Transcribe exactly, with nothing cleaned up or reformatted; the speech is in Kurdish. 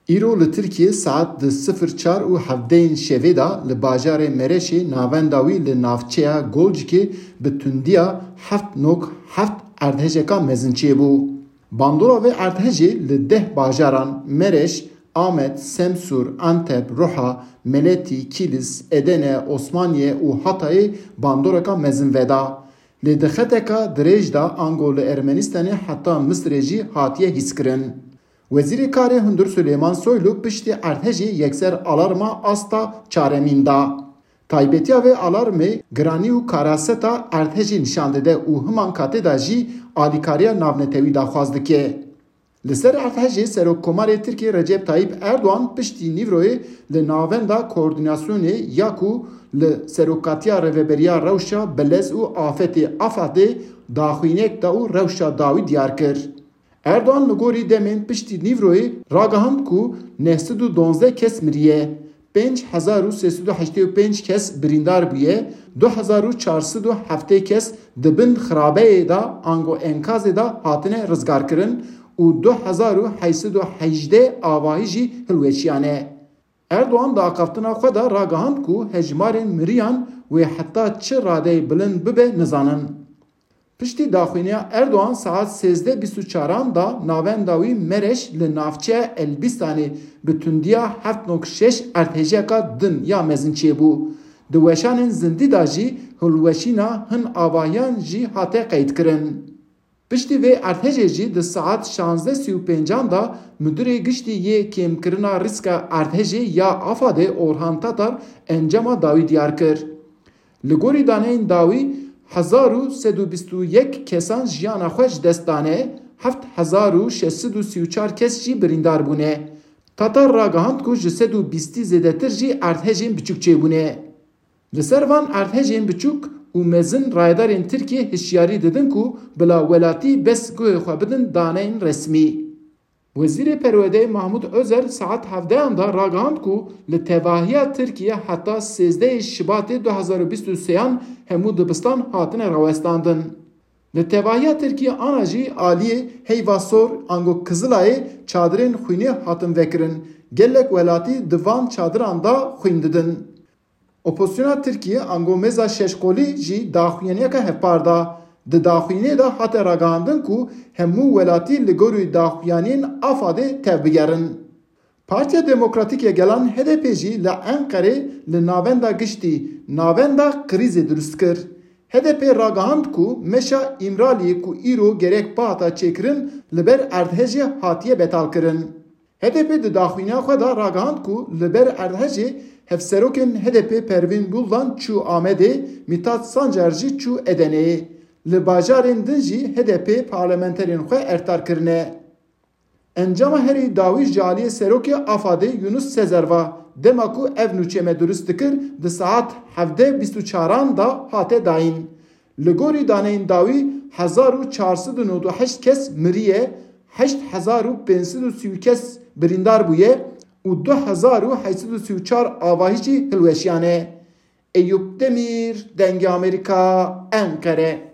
Îro li Tirkiyê saet di sifir çar û hevdeyên şevê de li bajarê Mereşê navenda wî li navçeya Golcikê bi tundiya heft nok heft erdhejeka mezin çêbû. Bandora vê erdhejê li deh bajaran Mereş, Amed, Semsûr, Antep, Ruha, Meletî, Kîlis, Edene, Osmaniye û Hatayê bandoreka mezin veda. Lê di xeteka dirêj de ango li Ermenistanê heta Misirê jî hatiye hîskirin. Wezîrê Karê Hundir Suleyman Soylu piştî erdhejê yekser alarma asta çaremîn da. Taybetiya vê alarmê giranî û karaseta erdhejê nîşan dide û himan katê de jî alîkariya navnetewî daxwaz dike. Li ser erdhejê Serokkomarê Tirkiyê Recep Tayyip Erdoğan piştî nîvroyê li navenda koordînasyonê ya ku li serokatiya Rêveberiya Rewşa Belez û Afetê AFADê daxuyaniyek da û rewşa dawî diyar kir. Erdoğan li gorî demên piştî nîvroyê ragihand ku neh sed û donzdeh kes miriye, pênc hezar û sê sed û heştê û pênc kes birîndar bûye, du hezar û çar sed û heftê kes di bin xirabeyê de ango enkazê de hatine rizgarkirin û du hezar û heyt sed û hejdeh avahî jî hilweşiyane. Erdoğan di axaftina xwe de ragihand ku hejmarên miriyan wê heta çi radeyê bilind bibe nizanin. Piştî daxuyaniya Erdoğan saet sêzdeh bîst û çaran de navenda wî Mereş li navçeya Elbîstanê bi tundiya heft nokte şeş erdhejeka din ya mezin çêbû. Di weşanên zindî de jî hilweşîna hin avahiyan jî hate qeydkirin. Piştî vê erdhejê jî di saet şazdeh sî û pêncan de Müdürê Giştî yê Kêmkirina Rîska Erdhejê ya AFADê Orhan Tatar encama dawî diyar kir. Li gorî daneyên dawî hezar û sed û bîst û yek kesan jiyana xwe ji dest dane, heft hezar û şeş sed û sî û çar kes jî birîndar bûne. Tatar ragihand ku ji sed û bîstî zêdetir jî erdhejên biçûk çêbûne. Li ser van erdhejên biçûk û mezin rayedarên Tirkiyê hişyarî didin ku bila welatî bes guhê xwe bidin daneyên resmî. Wezîrê Perwerdeyê Mahmut Özer saet hevdehan de ragihand ku li tevahiya Tirkiye heta sêzdehê Şibatê du hezar û bîst û sêyan hemû dibistan hatine rawestandin. Li tevahiya Tirkiye ana jî aliyê Heyva Sor ango Kizilayê çadirên xwînê hatin vekirin. Gelek welatî di van çadiran de xwîn didin. Opozisyona Tirkiyê ango Meza Şeşkolî jî daxuyaniyeke hevpar da. Di daxuyaniyê de hate ragihandin ku hemû welatî li gorî daxuyaniyên AFADê tevbigerin. Partiya Demokratîk ya Gelan HDP jî li Enqerê li navenda giştî navenda krîzê dirust kir. HDP ragihand ku meşa Îmraliyê ku îro gerek bihata çêkirin li ber erdhejê hatiye betalkirin. HDP di daxuyaniya xwe de ragihand ku li ber erdhejê hevserokên HDP Pervîn Buldan çû Amedê, Mithat Sancar jî çû Edeneyê. Li bajarên din jî HDP parlamenterên xwe ertar kirine. Encama herî dawî ji aliyê serokê AFADê Yunus Sezer va, dema ku ev nûçe me dirust dikir, di saet hevdeh bîst û çaran de hate dayîn. Li gorî daneyên dawî hezar û çar sed û nod û heşt kes miriye, heşt hezar û pênc sed û sî kes birîndar bûye û du hezar û heyt sed û sî û çar avahî jî hilweşiyane. Eyûp Demîr, Dengê Amerîka, Enqere.